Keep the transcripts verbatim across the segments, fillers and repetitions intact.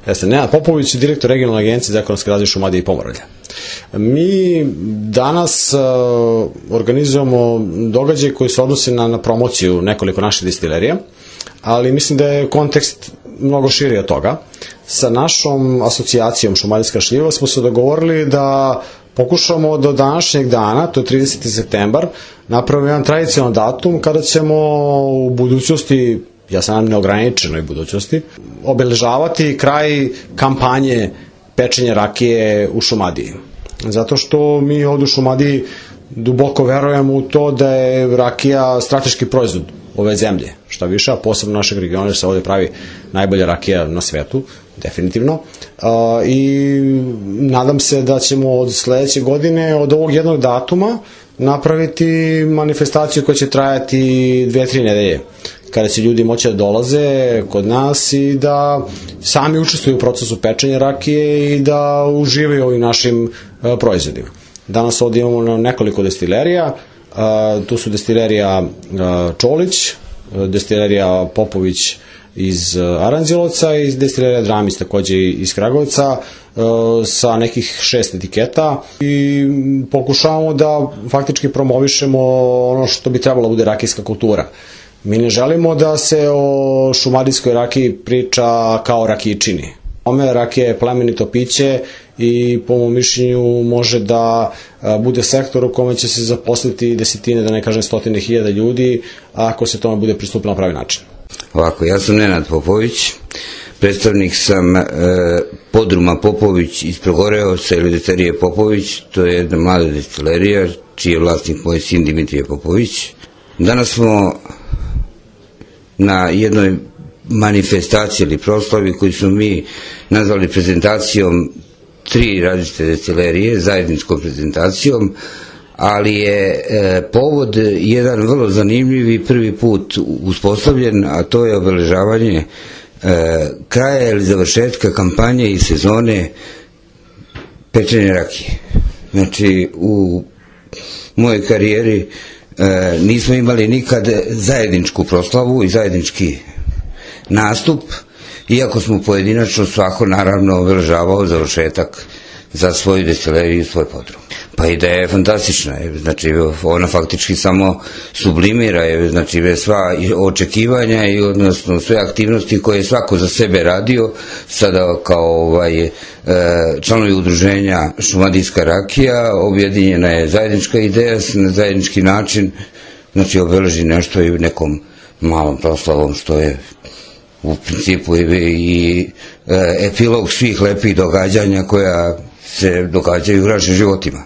Jeste, Nenad Popović, direktor regionalne agencije za ekonomski razvoj Šumadije i Pomoravlja. Mi danas uh, organizujemo događaj koji se odnosi na, na promociju nekoliko naših destilerija, ali mislim da je kontekst mnogo širi od toga. Sa našom asocijacijom Šumadijska šljiva smo se dogovorili da pokušamo do današnjeg dana, to je trideseti septembar, napravimo jedan tradicionalan datum kada ćemo u budućnosti, ja sam neograničenoj budućnosti, obeležavati kraj kampanje pečenja rakije u Šumadiji. Zato što mi ovdje u Šumadiji duboko verujemo u to da je rakija strateški proizvod ove zemlje, šta više, a posebno našeg regiona, jer se ovdje pravi najbolja rakija na svetu, definitivno. I nadam se da ćemo od sledeće godine, od ovog jednog datuma, napraviti manifestaciju koja će trajati dve, tri nedelje, kada će ljudi moći da dolaze kod nas i da sami učestvuju u procesu pečenja rakije i da uživaju ovim našim proizvodima. Danas ovdje imamo nekoliko destilerija, tu su destilerija Čolić, destilerija Popović iz Aranđelovca i destilerija Dramis takođe iz Kragovca sa nekih šest etiketa i pokušavamo da faktički promovišemo ono što bi trebalo bude rakijska kultura. Mi ne želimo da se o šumadijskoj rakiji priča kao rakičini. Ome rakija je plemenito piće i po mom mišljenju može da bude sektor u kome će se zaposliti desetine, da ne kažem stotine hiljada ljudi, ako se tome bude pristupilo na pravi način. Ovako, ja sam Nenad Popović, predstavnik sam e, podruma Popović iz Progoreovca ili destilerije Popović, to je jedna mlada destilerija, čiji je vlasnik moj sin Dimitrije Popović. Danas smo na jednoj manifestaciji ili proslavi koju smo mi nazvali prezentacijom tri različite destilerije, zajedničkom prezentacijom, ali je e, povod jedan vrlo zanimljiv i prvi put uspostavljen, a to je obeležavanje e, kraja ili završetka kampanje i sezone pečenja rakije. Znači, u mojoj karijeri e, nismo imali nikad zajedničku proslavu i zajednički nastup, iako smo pojedinačno svako naravno obeležavao završetak za svoju destileriju i svoj podrum. Pa ideja je fantastična, znači ona faktički samo sublimira, znači sva očekivanja i odnosno sve aktivnosti koje je svako za sebe radio, sada kao ovaj, članovi udruženja Šumadijska rakija, objedinjena je zajednička ideja na zajednički način, znači obeleži nešto i nekom malom proslavom, što je u principu i epilog svih lepih događanja koja se događaju u našim životima.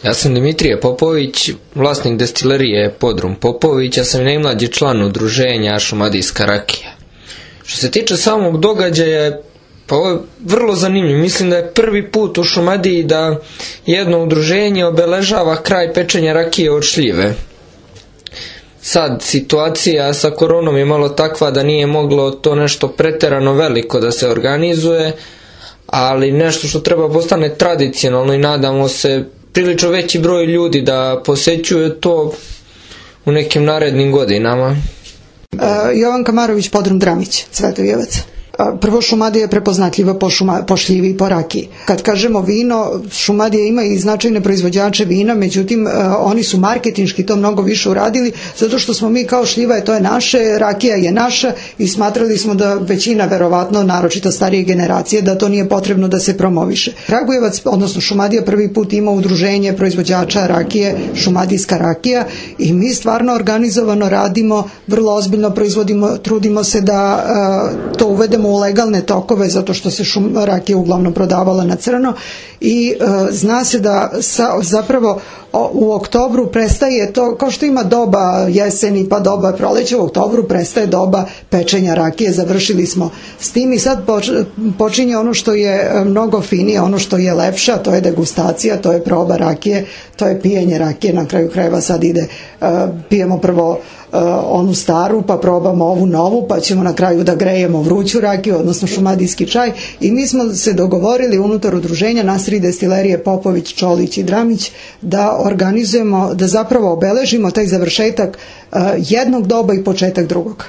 Ja sam Dimitrije Popović, vlasnik destilerije Podrum Popović, ja sam i najmlađi član udruženja Šumadijska rakija. Što se tiče samog događaja, pa ovo je vrlo zanimljivo. Mislim da je prvi put u Šumadiji da jedno udruženje obeležava kraj pečenja rakije od šljive. Sad, situacija sa koronom je malo takva da nije moglo to nešto preterano veliko da se organizuje, ali nešto što treba postane tradicionalno i nadamo se prilično veći broj ljudi da posećuje to u nekim narednim godinama. Uh, Jovan Kamarović, Podrum Dramić, Cvetojevac. Prvo, Šumadija je prepoznatljiva po, šuma, po šljivi i po rakiji. Kad kažemo vino, Šumadija ima i značajne proizvođače vina, međutim, oni su marketinški to mnogo više uradili, zato što smo mi kao šljiva, to je naše, rakija je naša i smatrali smo da većina, verovatno, naročito starije generacije, da to nije potrebno da se promoviše. Kragujevac, odnosno Šumadija, prvi put ima udruženje proizvođača rakije, Šumadijska rakija, i mi stvarno organizovano radimo, vrlo ozbiljno proizvodimo, trudimo se da uh, to uvedemo u legalne tokove, zato što se šum, rakija uglavnom prodavala na crno i e, zna se da sa, zapravo o, u oktobru prestaje to, kao što ima doba jeseni pa doba proleća, u oktobru prestaje doba pečenja rakije, završili smo s tim i sad poč, počinje ono što je mnogo finije, ono što je lepše, a to je degustacija, to je proba rakije, to je pijenje rakije, na kraju krajeva sad ide, e, pijemo prvo onu staru, pa probamo ovu novu, pa ćemo na kraju da grejemo vruću rakiju, odnosno šumadijski čaj, i mi smo se dogovorili unutar udruženja nas tri destilerije Popović, Čolić i Dramić da organizujemo, da zapravo obeležimo taj završetak jednog doba i početak drugog.